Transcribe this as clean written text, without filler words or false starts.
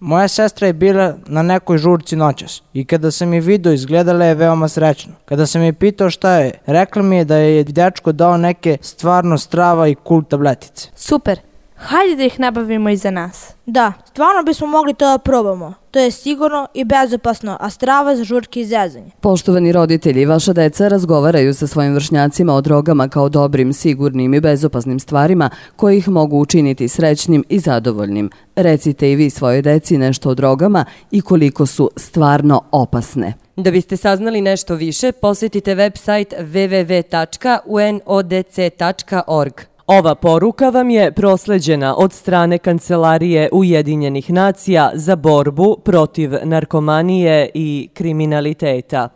Moja sestra je bila na nekoj žurci noćas i kada sam je video izgledala je veoma srećno. Kada sam je pitao šta je, rekla mi je da je dečko dao neke stvarno strava i cool tabletice. Super, hajde da ih nabavimo i za nas. Da, stvarno bismo mogli to da probamo. To je sigurno i bezopasno, a strava za žurke i zezanje. Poštovani roditelji, vaša deca razgovaraju sa svojim vršnjacima o drogama kao dobrim, sigurnim i bezopasnim stvarima koje ih mogu učiniti srećnim i zadovoljnim. Recite i vi svojoj deci nešto o drogama i koliko su stvarno opasne. Da biste saznali nešto više, posjetite website www.unodc.org. Ova poruka vam je prosleđena od strane Kancelarije Ujedinjenih nacija za borbu protiv narkomanije i kriminaliteta.